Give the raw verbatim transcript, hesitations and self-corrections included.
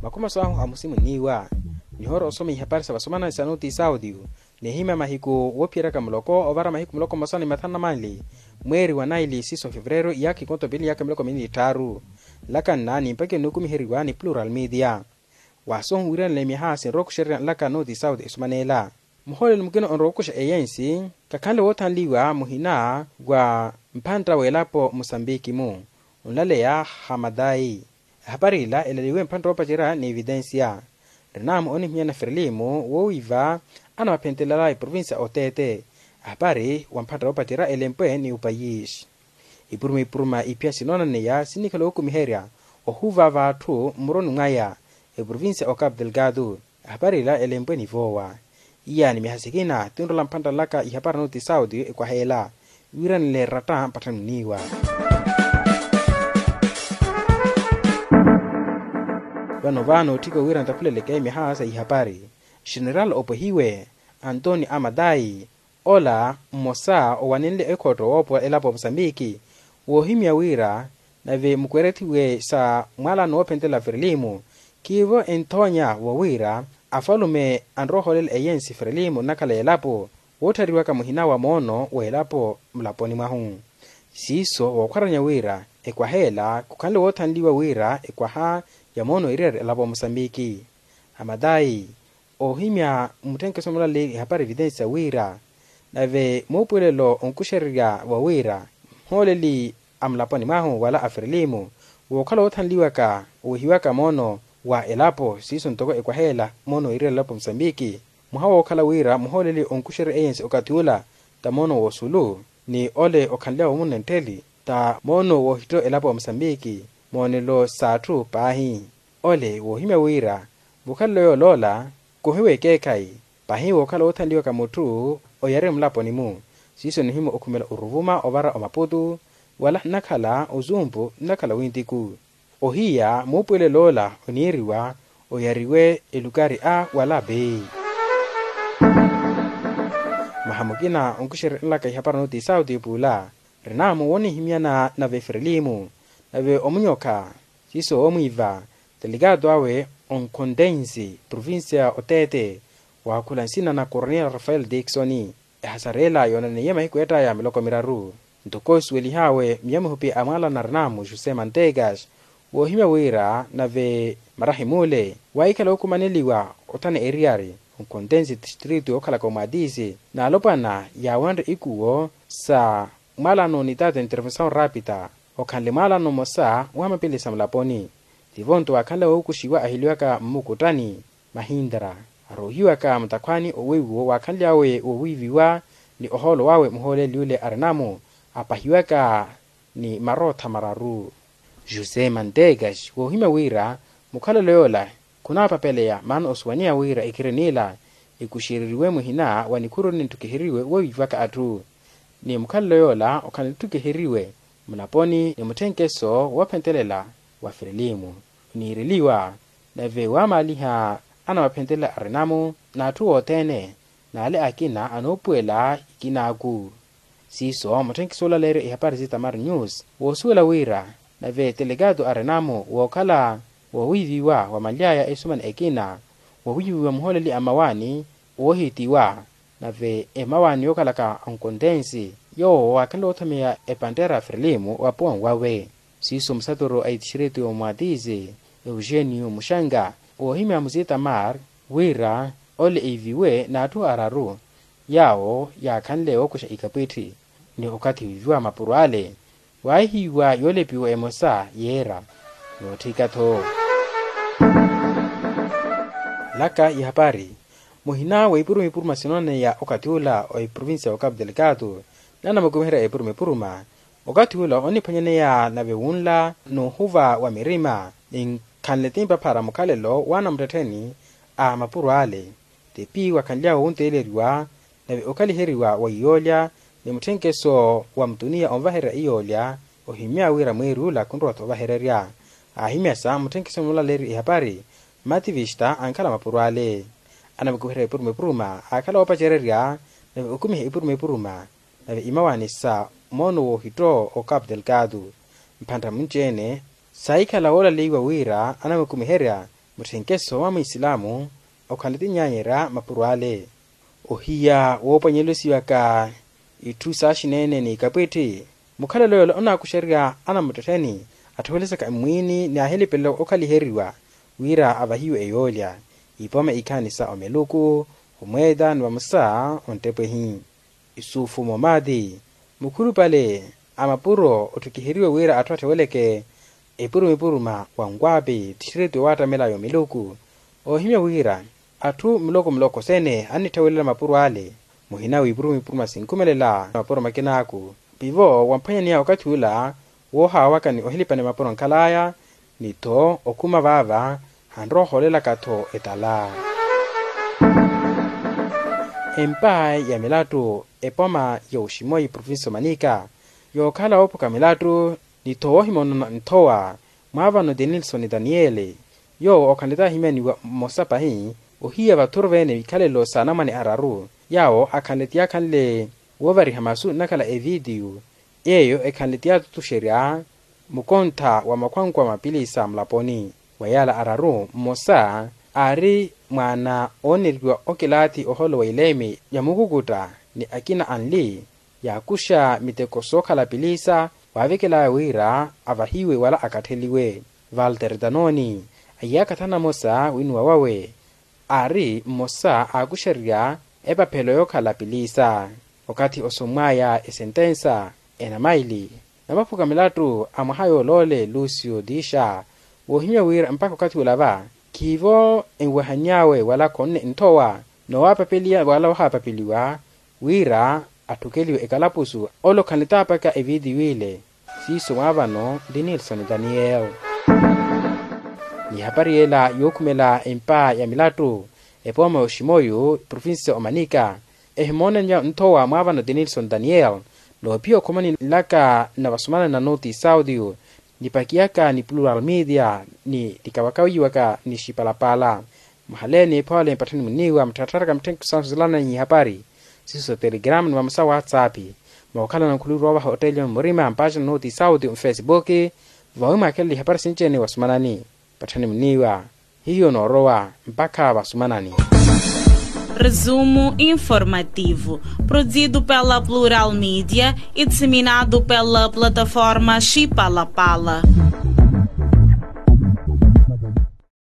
Makhumi aso ahu amusimunniwa nihoora osoma ihapari sa vasomanani sa noti saudio, nihimya mahiku woophiyeryaka muloko ovara mahiku muloko mmosa ni mathanu na manli, mweeri wa naili siiso fevereru iyaakha ikonto pili iyaakha miloko minni ni tthaaru. Nlakanna ni mpakha ennukumiheriwa ni plural media. Waasohu wiiranela miyaha sinrowa okuxererya nlaka noti saudio esomaneela. Muhooleli mukina onrowa okuxa eyensi khakhanle woothanliwa muhina wa mphantta w'elapo musambiki-mu, onlaleya hamadayi. Ehapari ila elaliwe mphantta woopacerya ni evitensiya. Rinamu onihimyana ferelimu woowiiva anamaphentelela eprovinsiya oteete. Ehapari wa mphantta woopacerya elempwe ni opayisi. Ipuruma ipuruma iphiya sinoonaneya sinnikhala ookumiherya ohuva v'atthu mmuroni mwaya eprovinsiya o capu delgado. Ehapari ila elempwe ni voowa. Iyaani miyaha sikina tinrola mphantta nlaka ihapari noti saudio ekwaheela wiiranile ratta mpatthani onniiwa. Vano vano otthika wira ntakhuleleke miyaha sa ihapari. General opwehiwe antoni amadayi, ola mmosa owanenle ekhotto woopowa elapo ya musambiki, woohimya wira nave mukwerethiwe sa mwalano woophentela ferelimu, khiivo enthoonya wa wira afalume anrowa ohoolela eyensi ferelimu nnakhala y'elapo, woottariwaka muhina wa moono w'elapo mulaponi mwahu. Siiso wookhwaranya wira ekwaha ela khukhanle woothanliwa wira ekwaha ya moono iriari elapo ya musambiki. Amadayi oohimya mmutthenkeso mulaleeri ehapari evitensiya wira nave muupuwelelo onkuxererya wa wira muhooleli a mulaponi mwahu wala a ferelimu wookhala woothanliwaka owehiwaka moono wa elapo siiso ntoko ekwaha ela moono iriari elapo musambiki. Mwaha wookhala wira muhooleli onkuxererya eyensi okathi ula ta moono w'osulu ni ole okhanly'awe omunna enttheli ta moono woohitto elapo ya musambiki moonelo s'atthu paahi. Ole woohimya wira mukhalelo yooloola khuhiwa ekeekhayi paahi wookhala woothanliwaka mutthu oyari mulaponi-mu. Siiso nihimya okhumela oruvuma ovara omaputu wala nnakhala ozumpu nnakhala wintiku. Ohiya muupuwelelo ola oniiriwa oyariwe elukari a wala bei. Maha mukina onkuxererya nlaka ihapari noti sauti epula rinamu woonihimyana nave ferelimu nave omunyokha siiso woomwiiva delegado awe onkhontensi provincia oteete waakhula nsina na coronel rafael diksoni. Ehasareela yoonaneiye mahiku eettaya miloko miraru ntoko esuwelih'awe myamuhupi a mwaalana rinamu jose mantegas woohimya wira nave marahim'ule waahikhala ookumaneliwa othana eriyari onkhontensi tistritu yookhalaka omwatisi n'alopwana yaawanre ikuwo sa mwaalano ni tata intervensaw rapita okhanle mwaalano mmosa wa mapilisa mulaponi. Tivo-nto waakhanle wookuxiwa ahilyaka mmukuttani mahintra aroohiwaka mutakhwaani owiiviwo waakhanly'awe woowiiviwa ni ohoolo wawe muhooleli ole arinamu apahiwaka ni marootha mararu. Jose mantegas woohimya wira mukhalelo yoola khunaapapeleya maana osuwaniha wira ekhiri n'ila ekuxereriwe muhina wa nikhuru nintthukiheriwe woowiivaka atthu ni mukhalelo yoola okhanle ntthukiheriwe mulaponi ni mutthenkeso woophentelela wa ferelimu oniireliwa nave waamaaliha anamaphentelela arinamu n'atthu othene n'ale akina anoopuwela ikinaaku. Siiso mutthenkeso olaleerya ihapari zitamar news woosuwela wira nave telekaato arinamu wookhala woowiiviwa wamanly'aya esumani ekina woowiiviwa muhooleli a mmawaani woohitiwa nave emawaani yookhalaka onkontensi yoowo waakhanle woothomeya epanttera a ferelimu wapowa nwawe. Siiso musatoro a itixireti omwatizi eugenio muxanga woohimya muzitamar wira ole iiviwe n'atthu araru yaawo yaakhanle wookuxa ikapwitthi ni okathi wiiviwa mapuro ale waahihiwa yoolepiwa emosa yeera. Nootthika-tho laka ihapari muhina wa ipuruma ipuruma sinooneya okathi ula o eprovincia wa capu delgado nanamukumiherya epuruma epuruma okathi ula oniphwanyaneya nave wunla n'uhuva wa mirima ni nkhanle timpa phara mukhalelo w'anamuttettheni a mapuro ale. Tipi wakhanly'awe wunteeleriwa nave okhaliheriwa wa iyoolya ni mutthenkeso wa mutuniya onvahererya iyoolya ohimya wira mweeri ula khunrowa-tho ovahererya. Aahimyasa mutthenkeso mulaleerya ihapari mmativista ankhala mapuro ale anamukuherya epuruma epuruma aakhala woopacererya nave okumiha epuruma epuruma nave imawaani sa moono woohitto o capu delgado. Mphantta munci-ene saahikhala woolaleiwa wira anamukumiherya Mutthenkeso wa mwisilaamu okhala ti nyaanyerya mapuro ale. Ohiya woopwanyelusiwaka itthu saaxineene n'ikapwitthi, mukhalelo yoola onaakuxererya anamuttettheni atthowelesaka mmwiini ni ahilipelela okhaliheriwa wira avahiwe eyoolya. Ipoma ikhaani sa omeluku, omweeta ni vamosa onttepwehi. Isuufu moomaati mukhulupale a mapuro otthukiheriwe wira atthu atthoweleke epurumipuruma wa nkwaapi tthiretiwe waattamela yomiluku. Oohimya wira atthu muloko muloko sene annitthewelela mapuro ale, muhina w'ipurumipuruma sinkhumelela mapuro makinaaku. Pivo wamphwanyaniya okathi ula woohaawaka ni ohilipani mapuro ankhalaya ni-tho okhuma vaava hanrowa ohoolelaka-tho etala. Empa ya milattu epoma ya oximoyi provincia omanika yookhala woophuka milattu ni-tho woohimoonana nthowa mwaavano denilson daniyeli, yoowo okhanle taahimyaniwa mmosa pahi ohiya vathuru veene wikhalelo s'anamwane araru yaawo akhanle ti yaakhanle woovariha masu nnakhala evitiyu yeeyo ekhanle ti yaatutuxerya mukontha wa makhwankwa mapilisa mulaponi. Wa yaala araru mmosa aari mwaana ooneriwa okilaathi oholo wa ileemi ya mukukutta ni akina anli yaakuxa miteko sookhala pilisa waavekelaya wira avahiwe wala akattheliwe. Valter danoni aiyaka tthana amosa winuwa wawe aari mmosa aakuxererya epaphelo yookhala pilisa. Okathi osomwaya esentensa enamaili na maphuka milattu a mwaha yooloole lucio dixa woohimya wira mpakha okathi ula va khiivo enwehany'awe wala khonne nthowa noowaapapeliya wala oohaapapeliwa wira atthukeliwe ekalapusu. Ole okhanle taapaka evitiyu ile siiso mwaavano ndi nilson daniyeli. Ni ehapari yeela yookhumela empa ya milattu epooma ya oximoyu provincia omanika ehimoonanya nthowa mwaavano denilson daniyeli noophiya okhomani nlaka na vasumanani na noti saudio nipakiyaka ni plural media ni nikawakawiwaka ni xipalapala. Muhaleeni ephole mpatthani muniiwa mutthattharaka mutthenke sansuzelananyi ihapari siiso sa telegrama ni vamosa whatsapp mookhalana nkhuluru ovaha otteliwa mmurima mpaxana noti saudio mfesibuki vawi mwaakhelele ihapari sinci-ene wasumanani. Patthani muniiwa hiyo noorowa mpakha vasumanani. Resumo informativo, produzido pela Plural Media e disseminado pela plataforma Chipalapala.